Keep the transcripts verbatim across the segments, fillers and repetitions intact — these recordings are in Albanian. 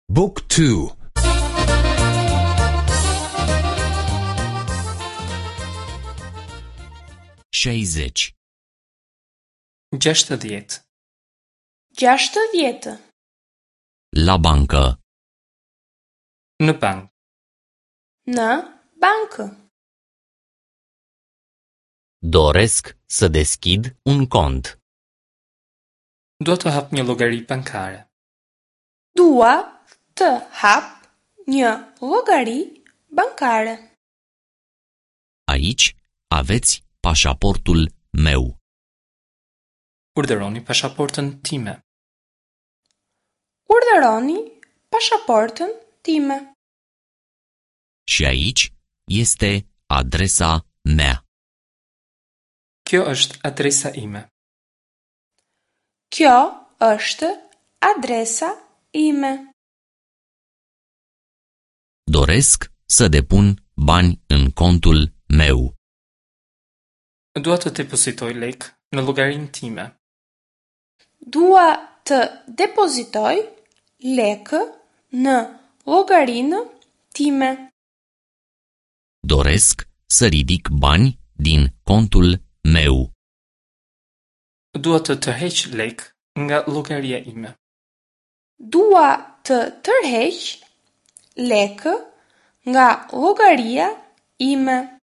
Book two. Șaizeci. Gjashtëdhjetë. Gjashtëdhjetë. La bancă. Në bankë. Në bankë. Doresc să deschid un cont. Dua të hap një llogari bankare. Dua të hap një llogari bankare. Aici aveți pașaportul meu. Urdhëroni pasaportën time. Urdhëroni pasaportën time. Și aici este adresa mea. Kjo është adresa ime. Kjo është adresa ime. Doresc să depun bani în contul meu. Dua të depozitoj lekë në llogarinë time. Dua të depozitoj lekë në llogarinë time. Doresc să ridic bani din contul meu. Dua të tërheq lekë nga llogaria ime. Dua të tërheq lekë nga llogaria ime.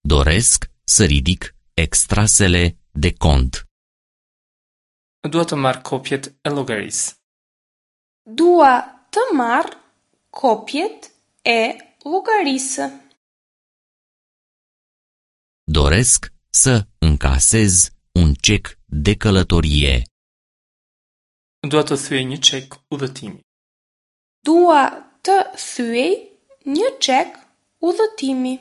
Doresc să ridic extrasele de cont. Dua të marr kopjet e llogarisë. Dua të marr kopjet e llogarisë. Doresc să încasez un cec de călătorie. Dua të thyej një çek udhëtimi. Dua të thyej një çek udhëtimi.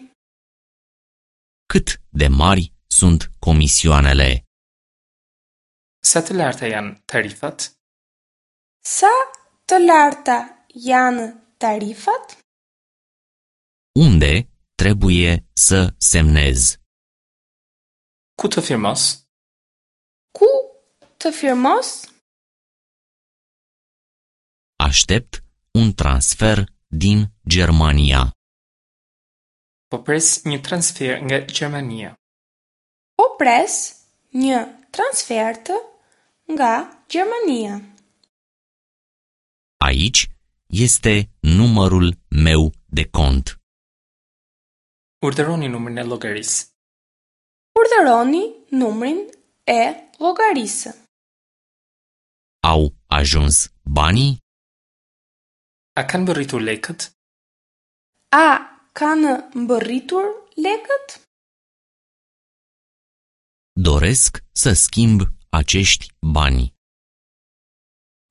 Cât de mari sunt comisioanele? Sa të larta janë tarifat? Sa të larta janë tarifat? Unde trebuie să semnez? Ku të firmos? Ku të firmos? Aștept un transfer din Germania. Po pres një transfer nga Gjermania. Po pres një transfertë nga Gjermania. Aici este numărul meu de cont. Urdhëroni numrin e llogarisë. Urdhëroni numrin e llogarisë. Au ajuns banii? A kanë mbërritur lekët? A kanë mbërritur lekët? Doresc să schimb acești bani.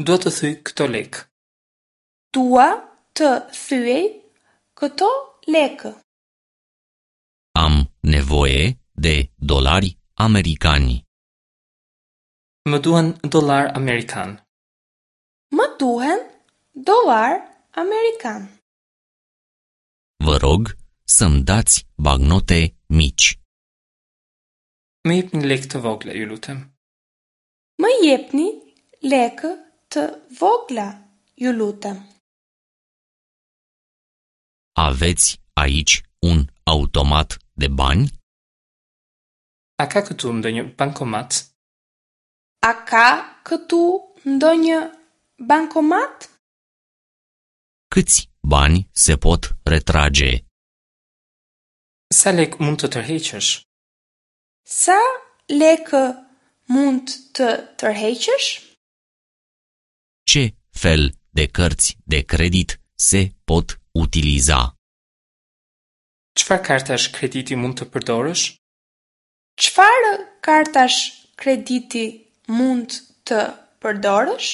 Dua të thyej këto lekë. Dua të thyej këto lekë. Am nevoie de dolari americani. Më duhen dollar amerikan. Më duhen dollar amerikan. Vă rog să-mi dați bagnote mici. Më jepni lekë të vogla, ju lutem. Më jepni lekë të vogla, ju lutem. Aveți aici un automat de bani? A ka këtu ndonjë bankomat? A ka këtu ndonjë bankomat? Câți bani se pot retrage? Sa lekë mund të tërheqësh? Sa lekë mund të tërheqësh? Ce fel de cărți de credit se pot utiliza? Çfarë kartash krediti mund të përdorësh? Çfarë kartash krediti mund të përdorësh?